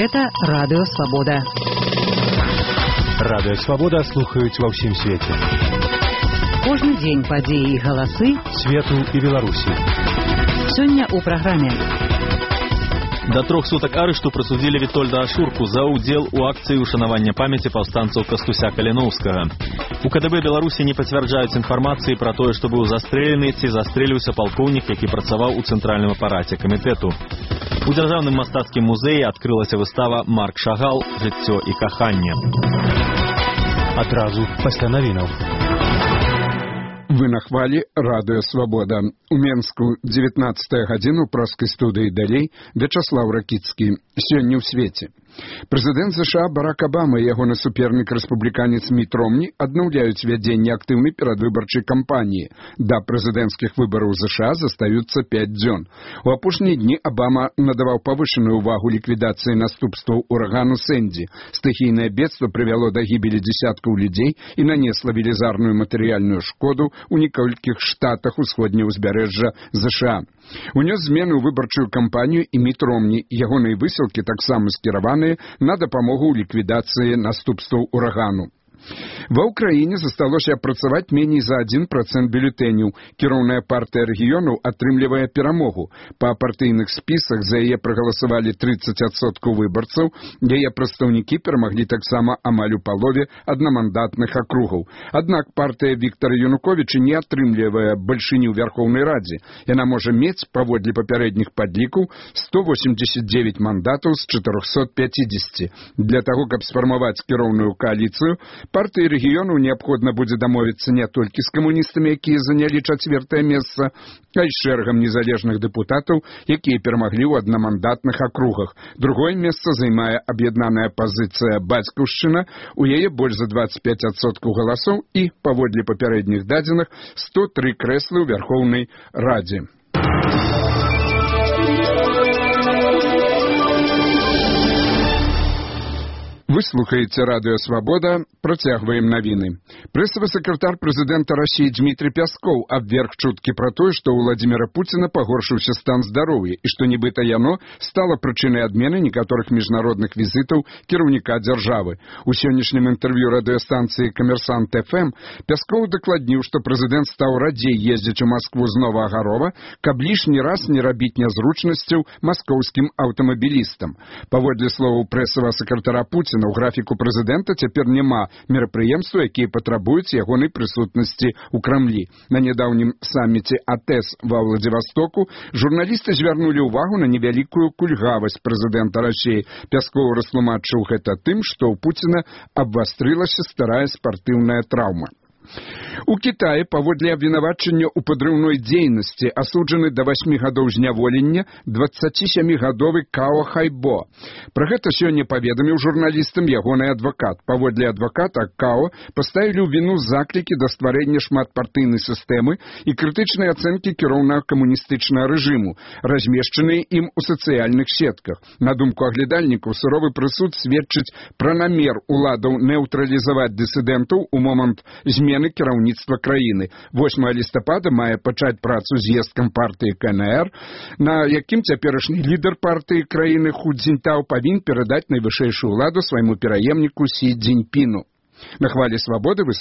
Гэта Радыё Свабода. Радыё Свабода слухаюць ва ўсім свеце. Кожны дзень падзеі і галасы свету і Беларусі. Сёння ў праграме. До 3 сутак арышту прысудзілі Вітольда Ашурку за ўдзел у акцыі ушанавання памяці паўстанцаў Кастуся Каліноўскага. У КДБ Беларусі не пацвярджаюць інфармацыі пра тое, што быў застрэлены ці застрэліўся палкоўнік, які працаваў у цэнтральным апараце камітэту. У дзяржаўным мастацкім музеі адкрылася выстава «Марк Шагал. Жыццё і каханне». Адразу пасля навінаў. Вы на хвалі Радыё Свабода. У Менску 19 гадзіну праскай студыі далей Вячаслаў Ракіцкі. Сёння ў свеце. Прэзідэнт США Барак Абама і ягоны супернік рэспубліканец Міт Ромні аднаўляюць вядзенне актыўнай перадвыбарчай кампаніі. Да прэзідэнцкіх выбараў США застаюцца 5 дзён. У апошнія дні Абама надаваў павышаную ўвагу ліквідацыі наступстваў урагану Сэнді. Стыхійнае бедства прывяло да гібелі дзесяткаў людзей і нанесла велізарную матэрыяльную шкоду у некалькіх штатах усходняга ўзбярэжжа США. Унёс змены ў выбарчую кампанію і Міт Ромні. Ягоныя высілкі таксама скіраваныя на дапамогу ў ліквідацыі наступстваў урагану. Ва ўкраіне засталося апрацаваць меней за 1% бюлетэняў. Кіроўная партыя рэгіёнаў атрымлівае перамогу. Па партыйных спісах за яе прагаласавалі 30% выбарцаў. Яе прадстаўнікі перамаглі таксама амаль у палове аднамандатных акругаў. Аднак партыя Віктара Януковіча не атрымлівае бальшыню ў Вярхоўнай Радзе. Яна можа мець, паводле папярэдніх падлікаў, 189 мандатаў з 450. Для таго, каб сфармаваць кіроўную кааліцыю, партыі рэгіёнаў неабходна будзе дамовіцца не толькі з камуністамі, якія занялі 4-е месца, а і шэрагам незалежных дэпутатаў, якія перамаглі ў аднамандатных акругах. Другое месца займае аб'яднаная пазіцыя «Бацькаўшчына», у яе больш за 25% галасоў і, паводле папярэдніх дадзеных, 103 крэслы ў Вярхоўнай Радзе. Вы слухаеце Радыё Свабода, працягваем навіны. Прэсавы сакратар прэзідэнта Расіі Дмітрый Пяскоў абверг чуткі пра тое, што ў Владзіміра Пуціна пагоршыўся стан здароўя і што нібыта яно стала прычынай адмены некаторых міжнародных візітаў кіраўніка дзяржавы. У сённяшнім інтэрв'ю радыёстанцыі «Камерсант ФМ» Пяскоў дакладніў, што прэзідэнт стаў радзей ездзіць у Маскву з Новаагарова, каб лішні раз не рабіць нязручнасцяў маскоўскім аўтамабілістам. Паводле словаў прэсавага сакратара Пуціна, у графіку прэзідэнта цяпер няма мерапрыемстваў, якія патрабуюць ягонай прысутнасці ў Крамлі. На нядаўнім саміце АТЭС ва Владзівастоку журналісты звярнулі ўвагу на невялікую кульгавасць прэзідэнта Расіі. Пяскоў растлумачыў гэта тым, што ў Пуціна абвастрылася старая спартыўная траўма. У Кітаі паводле абвінавачання ў падрыўной дзейнасці асуджаны да 8 гадоў зняволення 27-гадовы Као Хайбо. Пра гэта сёння паведаміў журналістам ягоны адвакат. Паводле адваката Као паставілі ў віну заклікі да стварэння шматпартыйнай сістэмы і крытычнай ацэнкі кіроўнага камуністычнага рэжыму, размешчаныя ім у сацыяльных сетках. На думку аглядальнікаў, суровы прысуд сведчыць пра намер уладаў нейтралізаваць дысідэнтаў у момант змены кіраўніцтва краіны. 8 лістапада мае пачаць працу з'езд кампартыі КНР, на якім цяперашні лідар партыі краіны Ху Цзіньтаў павінен перадаць найвышэйшую ўладу свайму пераемніку Сі Цзіньпіну. На хвалі Свабоды вы